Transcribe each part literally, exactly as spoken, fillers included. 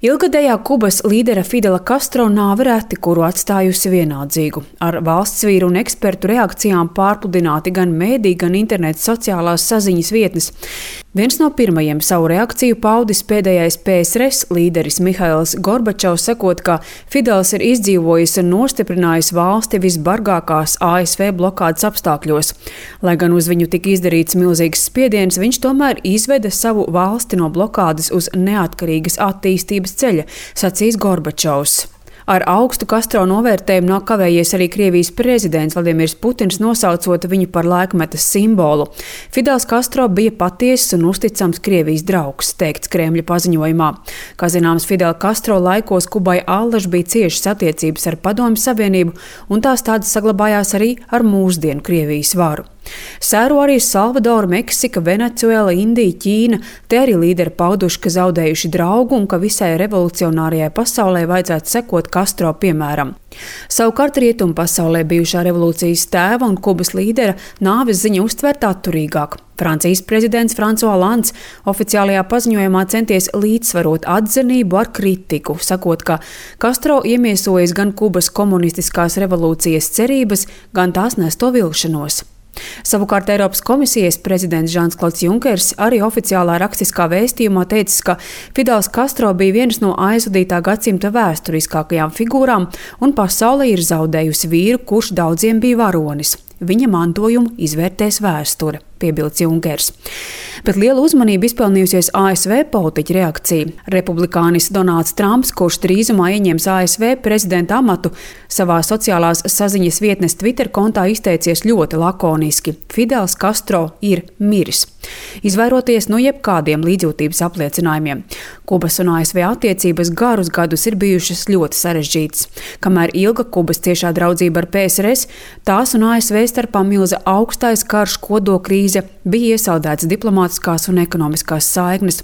Ilgadējā Kubas līdera Fidela Castro nāve reti kuru atstājusi vienaldzīgu. Ar valsts vīru un ekspertu reakcijām pārpludināti gan mēdī, gan interneta sociālās saziņas vietnes. Viens no pirmajiem savu reakciju paudis pēdējais P S R S līderis Mihails Gorbačovs, sakot, ka Fidels ir izdzīvojis un nostiprinājis valsti visbargākās A S V blokādes apstākļos. Lai gan uz viņu tika izdarīts milzīgs spiediens, viņš tomēr izveda savu valsti no blokādes uz neatkarīgas attīstības ceļa, sacīs Gorbačovs. Ar augstu Castro novērtējumu nav kavējies arī Krievijas prezidents Vladimirs Putins, nosaucot viņu par laikmetas simbolu. Fidels Castro bija patiesas un uzticams Krievijas draugs, teikts Kremļa paziņojumā. Kā zināms, Fidela Castro laikos Kubai allaž bija ciešas attiecības ar Padomju Savienību, un tās tādas saglabājās arī ar mūsdienu Krievijas varu. Sēro arī Salvadora, Meksika, Venecuēla, Indija, Ķīna. Te arī līderi pauduši, ka zaudējuši draugu un ka visai revolucionārajai pasaulē vajadzētu sekot Castro piemēram. Savukārt rietumu pasaulē bijušā revolūcijas tēva un Kubas līdera nāves ziņa uztvērt atturīgāk. Francijas prezidents François Hollands oficiālajā paziņojumā centies līdzsvarot atzinību ar kritiku, sakot, ka Castro iemiesojas gan Kubas komunistiskās revolūcijas cerības, gan tās nesto vilšanos. Savukārt Eiropas komisijas prezidents Žans-Klods Junkers arī oficiālā rakstiskā vēstījumā teicis, ka Fidels Castro bija viens no aizvadītā gadsimta vēsturiskākajām figūrām un pasaule ir zaudējusi vīru, kurš daudziem bija varonis. Viņa mantojumu izvērtēs vēsture, piebilds Junkers. Bet lielu uzmanību izpelnījusies A S V politiķa reakcija. Republikānis Donalds Trumps, kurš drīzumā ieņems A S V prezidenta amatu, savā sociālās saziņas vietnes Twitter kontā izteicies ļoti lakoniski. Fidels Castro ir miris. Izvairoties no jebkādiem līdzjūtības apliecinājumiem. Kubas un A S V attiecības garus gadus ir bijušas ļoti sarežģītas. Kamēr ilga Kubas ciešā draudzība ar P S R S, tās un A S V starpā milza augstais karš, kodokrīze, bija iesaldētas diplomātiskās un ekonomiskās saiknes.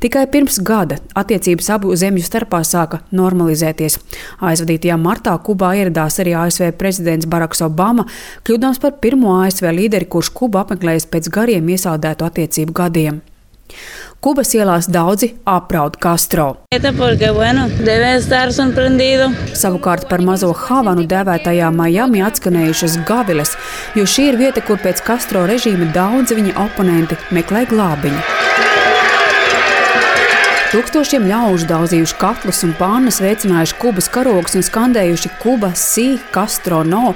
Tikai pirms gada attiecības abu zemju starpā sāka normalizēties. Aizvadītajā martā Kubā ieradās arī A S V prezidents Baraks Obama, kļūdams par pirmo A S V līderi, kurš Kubu apmeklējis pēc gariem iesaldētu attiecību gadiem. Kubas ielās daudzi apraud Castro. Savukārt par mazo Havanu dēvētajā Miami atskanējušas gaviles, jo šī ir vieta, kur pēc Castro režīma daudzi viņa oponenti meklē glābiņu. Tūkstošiem ļaužu daudzījuši katlus un pānas, veicinājuši Kubas karogus un skandējuši Kuba si, Castro no,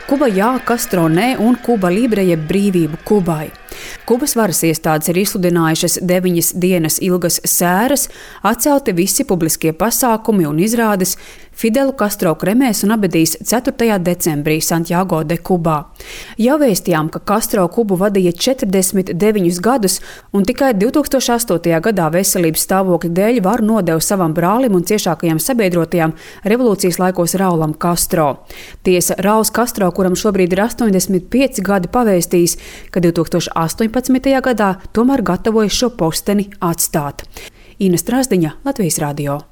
Kuba jā, Castro nē un Kuba libre jeb brīvību Kubai. Kubas varas iestādes ir izsludinājušas deviņas dienas ilgas sēras, atcelti visi publiskie pasākumi un izrādes. Fidelu Castro kremēs un abedīs ceturtajā decembrī Santiago de Kubā. Jau vēstījām, ka Castro Kubu vadīja četrdesmit deviņus gadus un tikai divtūkstoš astotajā gadā veselības stāvokļa dēļ varu nodeva savam brālim un ciešākajam sabiedrotajam revolūcijas laikos Raulam Castro. Tiesa, Rauls Castro, kuram šobrīd ir astoņdesmit pieci gadi, pavēstījis, ka divtūkstoš astoņpadsmitajā gadā tomēr gatavojas šo posteni atstāt. Ina Strasdiņa, Latvijas radio.